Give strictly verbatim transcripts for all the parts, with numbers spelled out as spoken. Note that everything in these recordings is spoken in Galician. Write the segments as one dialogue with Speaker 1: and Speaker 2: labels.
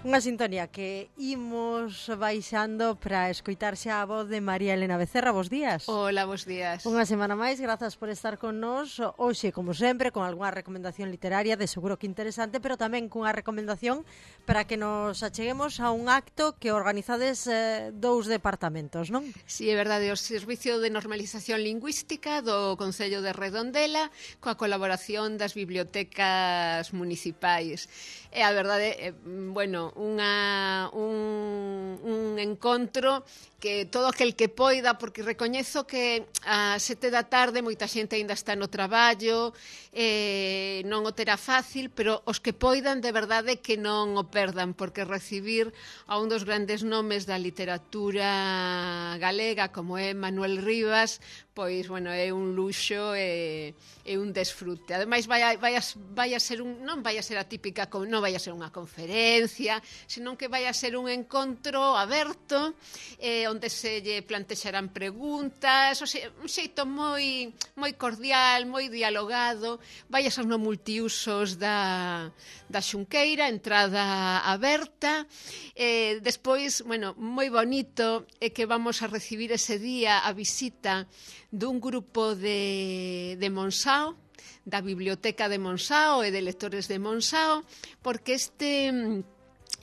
Speaker 1: Unha sintonía que imos baixando para escoitarse a voz de María Elena Becerra. Bos días.
Speaker 2: Hola, bos días.
Speaker 1: Unha semana máis, grazas por estar con nós. Hoxe, como sempre, con algunha recomendación literaria, de seguro que interesante, pero tamén cunha recomendación para que nos acheguemos a un acto que organizades eh, dous departamentos, non?
Speaker 2: Si, sí, é verdade, o Servicio de Normalización Lingüística do Concello de Redondela coa colaboración das bibliotecas municipais. E a verdade, é, bueno, unha, un, un encontro que todo aquel que poida, porque recoñezo que a sete da tarde moita xente aínda está no traballo, eh, non o terá fácil, pero os que poidan de verdade que non o perdan, porque recibir a un dos grandes nomes da literatura galega como é Manuel Rivas, pois, bueno, é un luxo e é un desfrute. Ademais, vai a, vai, a, vai a ser un, non vai a ser a típica, non vai a ser unha conferencia, senón que vai a ser un encontro aberto, eh, onde se lle plantexarán preguntas, o sea, un xeito moi moi cordial, moi dialogado, vai a ser no multiusos da, da Xunqueira, entrada aberta, eh, despois, bueno, moi bonito é que vamos a recibir ese día a visita dun grupo de, de Monsao, da Biblioteca de Monsao e de lectores de Monsao, porque este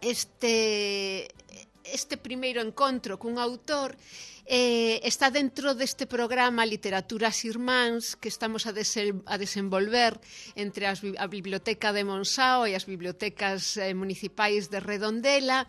Speaker 2: este este primeiro encontro cun autor eh, está dentro deste programa Literaturas Irmáns que estamos a, desel, a desenvolver entre as, a Biblioteca de Monsao e as bibliotecas eh, municipais de Redondela,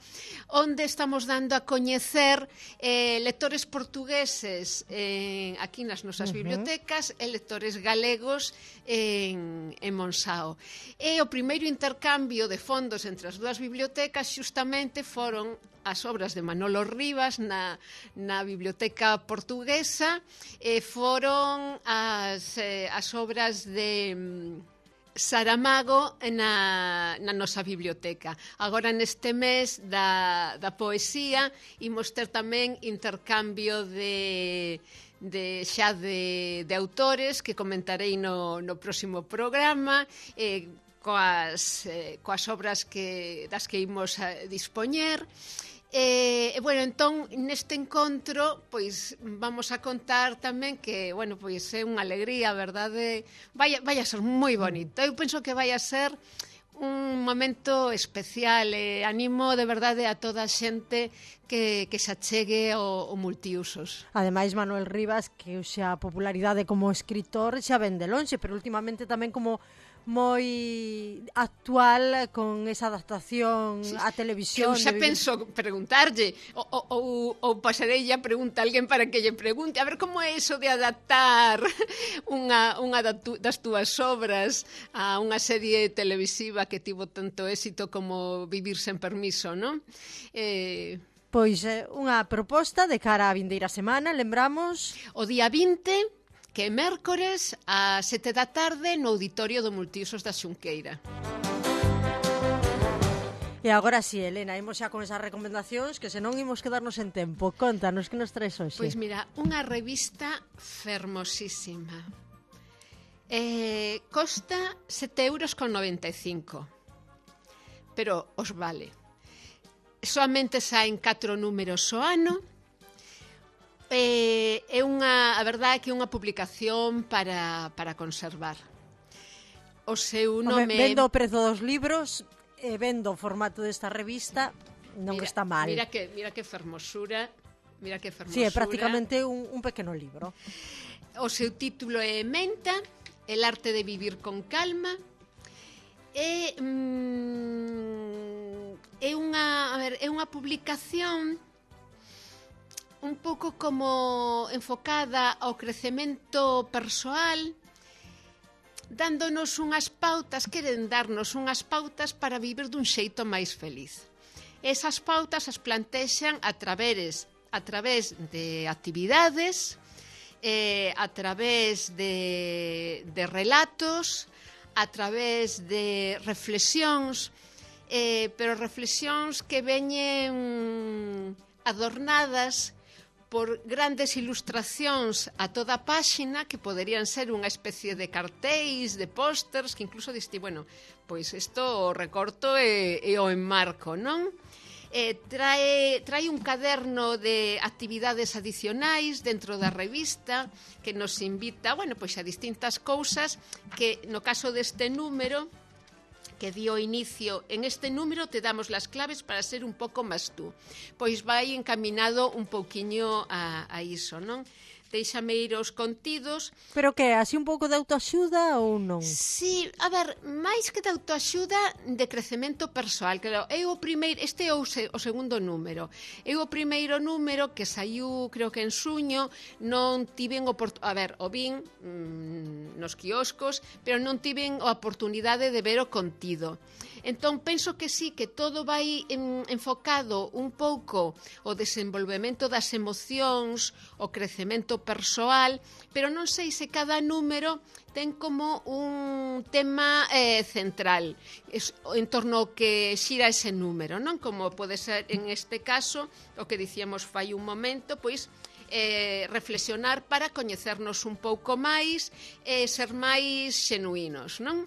Speaker 2: onde estamos dando a coñecer eh, lectores portugueses eh, aquí nas nosas uh-huh. bibliotecas e lectores galegos en, en Monsao. E o primeiro intercambio de fondos entre as dúas bibliotecas xustamente foron as obras de Manolo Rivas na, na biblioteca portuguesa e foron as, eh, as obras de mm, Saramago na, na nosa biblioteca. Agora neste mes da, da poesía imos ter tamén intercambio de de xa de, de autores que comentarei no, no próximo programa, eh, coas, eh, coas obras que, das que imos a dispoñer. E, eh, bueno, entón, neste encontro, pois, vamos a contar tamén que, bueno, pois, é unha alegría, a verdade, vai, vai a ser moi bonito. Eu penso que vai a ser un momento especial e animo de verdade a toda a xente que, que se achegue ao, ao multiusos.
Speaker 1: Ademais, Manuel Rivas, que xa a popularidade como escritor xa ven de lonxe, pero últimamente tamén como moi actual con esa adaptación sí, á televisión.
Speaker 2: Eu xa penso preguntarlle ou, ou, ou pasarei a pregunta a alguén para que lle pregunte a ver como é iso de adaptar unha, unha das túas obras a unha serie televisiva que tivo tanto éxito como Vivir sen permiso, non? Eh...
Speaker 1: Pois é unha proposta de cara á vindeira semana, lembramos
Speaker 2: o día vinte, que é mércores a sete da tarde no auditorio do Multiusos da Xunqueira.
Speaker 1: E agora si, sí, Elena, imos xa con esas recomendacións que senón imos quedarnos en tempo. Contanos, que nos traes hoxe?
Speaker 2: Pois mira, unha revista fermosísima. Eh, costa sete euros con noventa e cinco, pero os vale. Soamente saen catro números ao ano. Eh, é unha, a verdade é que é unha publicación para, para conservar. O seu nome...
Speaker 1: Home, vendo o prezo dos libros e vendo o formato desta revista, non
Speaker 2: mira,
Speaker 1: está mal.
Speaker 2: Mira que, mira que fermosura, mira que fermosura.
Speaker 1: Sí, é prácticamente un, un pequeno libro.
Speaker 2: O seu título é Menta, el arte de vivir con calma. É, mm, é unha, a ver, é unha publicación un pouco como enfocada ao crecemento persoal, dándonos unhas pautas, queren darnos unhas pautas para vivir dun xeito máis feliz. Esas pautas as plantexan a través, a través de actividades, eh, a través de, de relatos, a través de reflexións, eh, pero reflexións que veñen adornadas por grandes ilustracións a toda a páxina que poderían ser unha especie de cartéis, de pósters, que incluso diste, bueno, pois isto o recorto e, e o enmarco, non? Eh, trae, trae un caderno de actividades adicionais dentro da revista que nos invita, bueno, pois a distintas cousas que no caso deste número que di o inicio, en este número te damos las claves para ser un pouco máis tú. Pois vai encaminado un pouquiño a, a iso, non? Deixame ir aos contidos.
Speaker 1: Pero que, así un pouco de autoaxuda ou non?
Speaker 2: Sí, a ver, máis que de autoaxuda, de crecemento persoal. Claro, é o primeiro, este é o, se, o segundo número. É o primeiro número que saiu, creo que en suño, non tiven oportunidade, a ver, o vin mmm, nos quioscos, pero non tiven a oportunidade de ver o contido. Entón, penso que sí, que todo vai en, enfocado un pouco o desenvolvemento das emocións, o crecemento persoal, pero non sei se cada número ten como un tema eh, central es, en torno ao que xira ese número, non? Como pode ser en este caso, o que dicíamos fai un momento, pois eh, reflexionar para coñecernos un pouco máis e eh, ser máis xenuínos, non?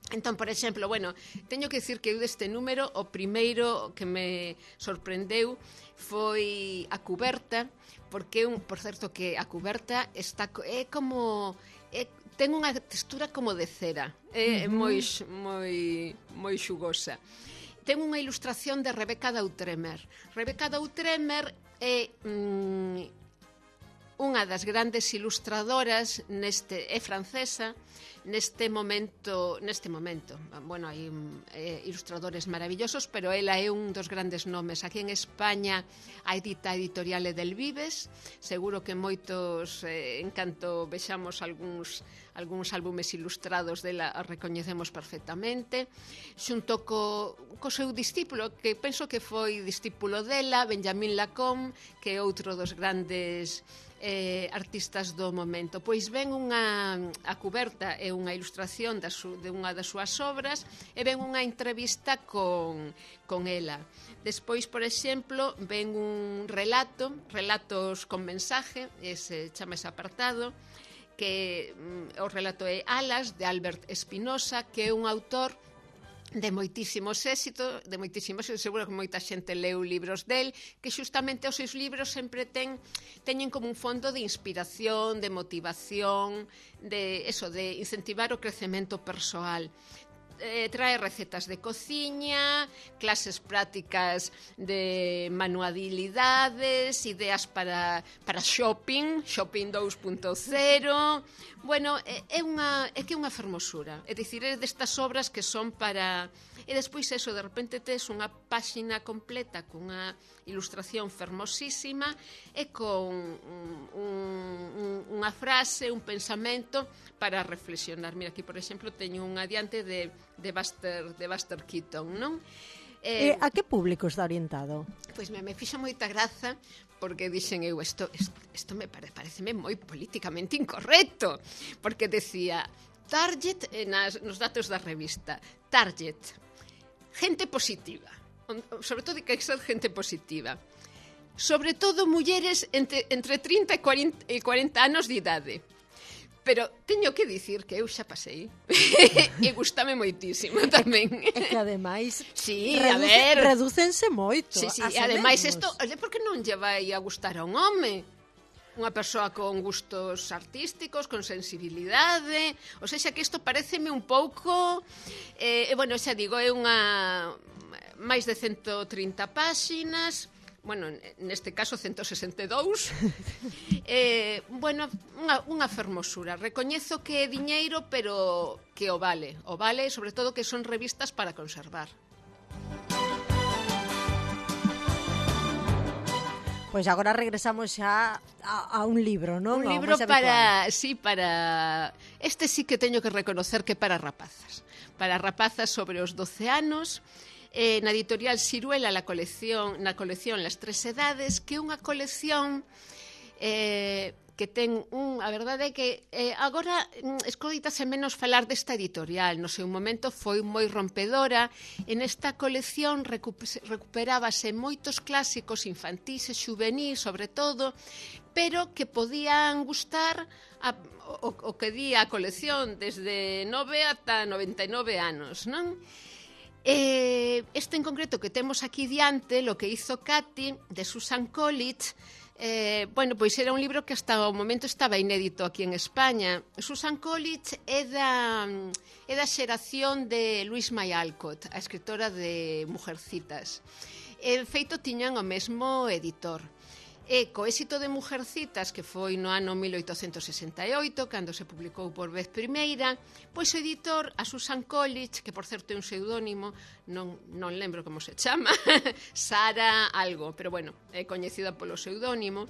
Speaker 2: Entón, por exemplo, bueno, teño que dicir que eu deste número o primeiro que me sorprendeu foi a cuberta, porque un, por certo que a cuberta está é como é, ten unha textura como de cera, é, é moi moi moi xugosa. Ten unha ilustración de Rebecca Dautremer. Rebecca Dautremer é mm, unha das grandes ilustradoras neste é francesa. Neste momento, neste momento, bueno, hai eh, ilustradores maravillosos, pero ela é un dos grandes nomes. Aquí en España a edita editorial del Vives, seguro que moitos, eh, en canto vexamos algúns algúns álbumes ilustrados dela a recoñecemos perfectamente, xunto co, co seu discípulo, que penso que foi discípulo dela, Benjamin Lacombe, que é outro dos grandes eh, artistas do momento. Pois ven unha, a cuberta é unha ilustración da su, de unha das súas obras e ven unha entrevista con, con ela. Despois, por exemplo, ven un relato, relatos con mensaje, ese chama ese apartado, que mm, o relato é Alas, de Albert Espinosa, que é un autor de moitísimos éxitos, de moitísimos éxitos, seguro que moita xente leu libros del, que xustamente os seus libros sempre ten, teñen como un fondo de inspiración, de motivación, de eso, de incentivar o crecemento persoal. Eh, trae recetas de cociña, clases prácticas de manualidades, ideas para, para shopping, shopping dos punto cero. Bueno, é, é, unha, é que é unha fermosura. É dicir, é destas obras que son para... E despois eso, de repente tes unha páxina completa cunha ilustración fermosísima e con un, un, unha frase, un pensamento para reflexionar. Mira, aquí, por exemplo, teño un adiante de, de, Buster, de Buster Keaton, non?
Speaker 1: Eh, a que público está orientado?
Speaker 2: Pois me, me fixa moita graza porque dixen eu, isto, isto, isto me pare, pareceme moi políticamente incorrecto, porque decía target, eh, nas, nos datos da revista, target, gente positiva, sobre todo que hai que ser gente positiva, sobre todo mulleres entre, entre trinta e cuarenta anos de idade. Pero teño que dicir que eu xa pasei e gustame moitísimo tamén.
Speaker 1: É que ademais
Speaker 2: sí,
Speaker 1: reduce,
Speaker 2: a ver,
Speaker 1: redúcense moito.
Speaker 2: Sí, sí, ademais isto, por que non lle vai a gustar a un home? Unha persoa con gustos artísticos, con sensibilidade, ou seja que isto pareceme un pouco, eh, bueno, xa digo, é unha máis de ciento trinta páxinas, bueno, neste caso ciento sesenta e dous, eh, bueno, unha, unha fermosura. Recoñezo que é diñeiro, pero que o vale, o vale, sobre todo que son revistas para conservar.
Speaker 1: Pois agora regresamos xa a, a un libro, non?
Speaker 2: Un libro para, sí, para... Este sí que teño que reconocer que para rapazas. Para rapazas sobre os doce anos, eh, na editorial Siruela, la colección, na colección Las Tres Edades, que é unha colección... Eh, que ten un, a verdade é que eh, agora mm, escoitase menos falar desta editorial, no seu momento foi moi rompedora. En esta colección recup recuperábase moitos clásicos infantís e xuvenís, sobre todo, pero que podían gustar a, o, o que di a colección desde nove ata noventa e nove anos, non? Eh, este en concreto que temos aquí diante, Lo que hizo Katy, de Susan Collins, Eh, bueno, pois era un libro que hasta o momento estaba inédito aquí en España. Susan Collins é da, é da xeración de Louise May Alcott, a escritora de Mujercitas. E, feito, tiñan o mesmo editor. E co éxito de Mujercitas, que foi no ano mil oitocentos sesenta e oito, cando se publicou por vez primeira, pois o editor, a Susan Collins, que por certo é un pseudónimo, non, non lembro como se chama, Sara algo, pero bueno, é coñecida polo pseudónimo,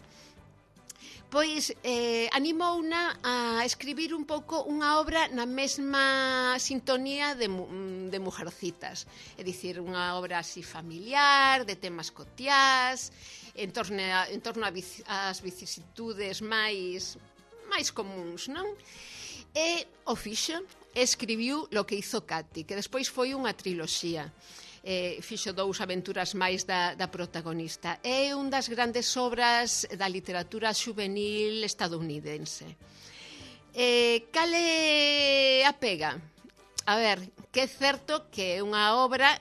Speaker 2: pois eh, animouna a escribir un pouco unha obra na mesma sintonía de, de Mujercitas, é dicir, unha obra así familiar, de temas cotiás, en torno a, en torno a vic, as vicisitudes máis máis comuns, non? E o fixo, escribiu Lo que hizo Katy, que despois foi unha triloxía. Eh, fixo dous aventuras máis da, da protagonista. É un das grandes obras da literatura xuvenil estadounidense. Eh, cal é a pega? A ver, que é certo que é unha obra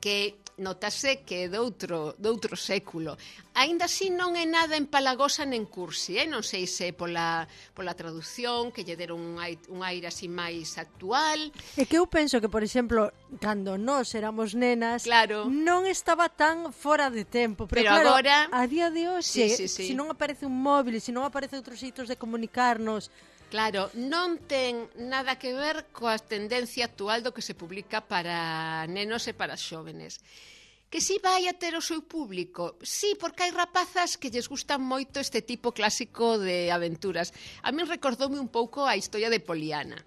Speaker 2: que notase que é doutro, doutro século. Aínda así non é nada empalagosa nen cursi, eh? Non sei se pola, pola traducción, que lle deron un aire, un aire así máis actual.
Speaker 1: É que eu penso que, por exemplo, cando nós éramos nenas,
Speaker 2: claro,
Speaker 1: non estaba tan fora de tempo. Pero,
Speaker 2: pero
Speaker 1: claro,
Speaker 2: agora,
Speaker 1: a día de hoxe,
Speaker 2: sí, sí, sí.
Speaker 1: se non aparece un móvil, se non aparece outros xeitos de comunicarnos,
Speaker 2: claro, non ten nada que ver coa tendencia actual do que se publica para nenos e para xóvenes. Que si vai a ter o seu público? Sí, porque hai rapazas que lles gustan moito este tipo clásico de aventuras. A min recordoume un pouco a historia de Poliana.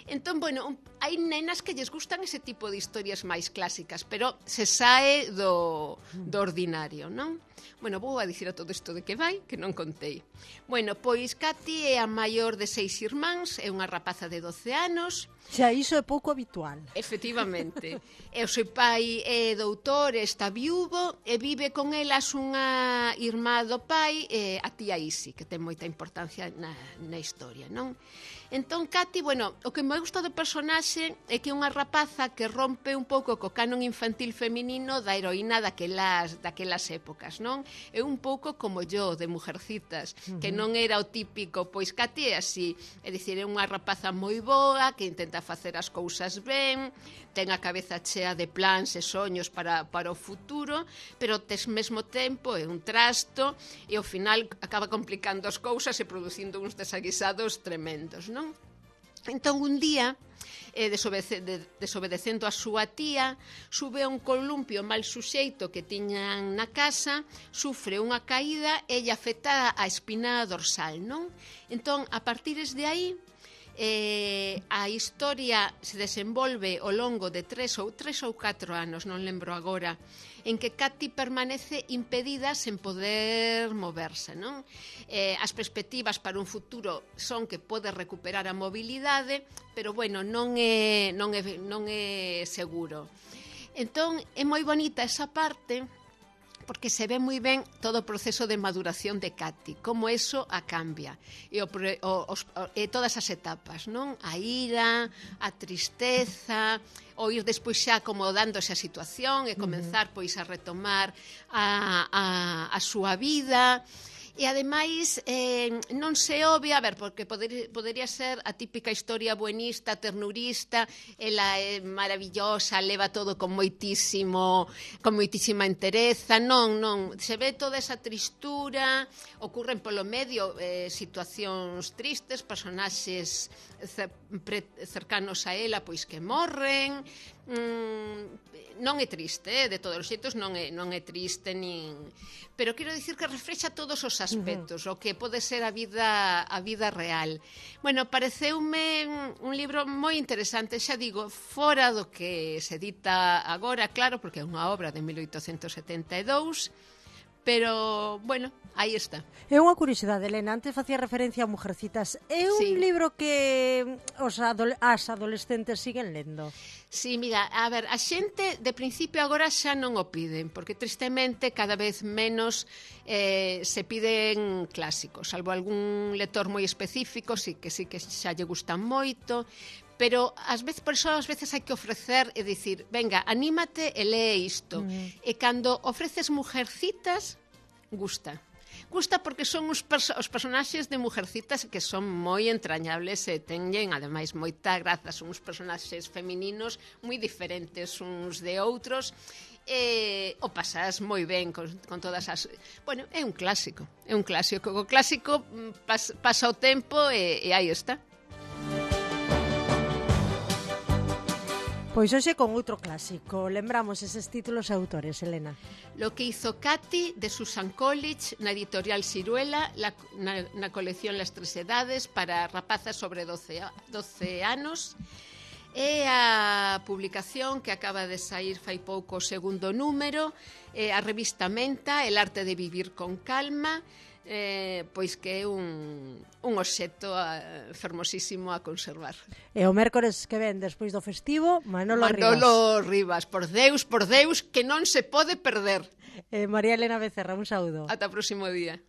Speaker 2: Entón, bueno, hai nenas que lles gustan ese tipo de historias máis clásicas, pero se sae do, do ordinario, non? Bueno, vou a dicir a todo isto de que vai, que non contei. Bueno, pois Katy é a maior de seis irmáns, é unha rapaza de doce anos.
Speaker 1: Xa, iso é pouco habitual.
Speaker 2: Efectivamente. E o seu pai é doutor, está viúvo, e vive con elas unha irmá do pai, e a tía Isi, que ten moita importancia na, na historia, non? Entón, Katy, bueno, o que me gusta do personaxe é que é unha rapaza que rompe un pouco co canon infantil feminino da heroína daquelas, daquelas épocas, non? É un pouco como yo, de Mujercitas, uh-huh. que non era o típico, pois Katy é así, é dicir, é unha rapaza moi boa, que intenta facer as cousas ben, ten a cabeza chea de plans e soños para, para o futuro, pero tes mesmo tempo é un trasto e ao final acaba complicando as cousas e producindo uns desaguisados tremendos, non? Entón, un día, eh, desobede de, desobedecendo a súa tía, sube a un columpio mal suxeito que tiñan na casa, sufre unha caída e lle afecta a espina dorsal, non? Entón, a partires de aí, eh, a historia se desenvolve ao longo de tres ou tres ou catro anos, non lembro agora, en que Katy permanece impedida sen poder moverse, non? Eh, as perspectivas para un futuro son que pode recuperar a mobilidade, pero bueno, non é, non é, non é seguro. Entón, é moi bonita esa parte, porque se ve moi ben todo o proceso de maduración de Katy, como eso a cambia, e, o, o, os, e todas as etapas, non? A ira, a tristeza, o ir despois xa acomodándose a situación e comenzar pois a retomar a, a, a súa vida. E ademais eh, non se obvia, a ver, porque poder, podería ser a típica historia buenista, ternurista, ela é maravillosa, leva todo con moitísimo, con moitísima entereza, non, non, se ve toda esa tristura, ocurren polo medio eh, situacións tristes, personaxes cercanos a ela pois que morren, mm, non é triste, eh? De todos os xeitos non é, non é triste nin... pero quero dicir que reflexa todos os aspectos, uh-huh. o que pode ser a vida a vida real. Bueno, pareceume un libro moi interesante, xa digo, fora do que se edita agora, claro, porque é unha obra de mil oitocentos setenta e dous, pero, bueno, aí está.
Speaker 1: É unha curiosidade, Elena, antes facía referencia a Mujercitas. É un
Speaker 2: Sí.
Speaker 1: libro que os adole as adolescentes siguen lendo.
Speaker 2: Sí, mira, a ver, a xente de principio agora xa non o piden, porque tristemente cada vez menos eh, se piden clásicos, salvo algún lector moi específico, sí que sí que xa lle gustan moito, pero ás veces, por eso ás veces hai que ofrecer e dicir, venga, anímate e lee isto. Mm. E cando ofreces Mujercitas, gusta. Gusta porque son os, perso os personaxes de Mujercitas que son moi entrañables e teñen, ademais, moita graza. Son uns personaxes femininos moi diferentes uns de outros e o pasas moi ben con, con todas as... Bueno, é un clásico, é un clásico. O clásico pas, pasa o tempo e, e aí está.
Speaker 1: Pois hoxe con outro clásico. Lembramos eses títulos e autores, Elena.
Speaker 2: Lo que hizo Katy, de Susan College, na editorial Siruela, la, na, na colección Las Tres Edades, para rapazas sobre doce anos. É a publicación que acaba de sair fai pouco o segundo número, é a revista Menta, El arte de vivir con calma, eh, pois que é un, un obxecto uh, fermosísimo a conservar.
Speaker 1: E o mércores que ven despois do festivo, Manolo,
Speaker 2: Manolo
Speaker 1: Rivas.
Speaker 2: Rivas, por Deus, por Deus, que non se pode perder.
Speaker 1: Eh, María Elena Becerra, un saúdo.
Speaker 2: Ata o próximo día.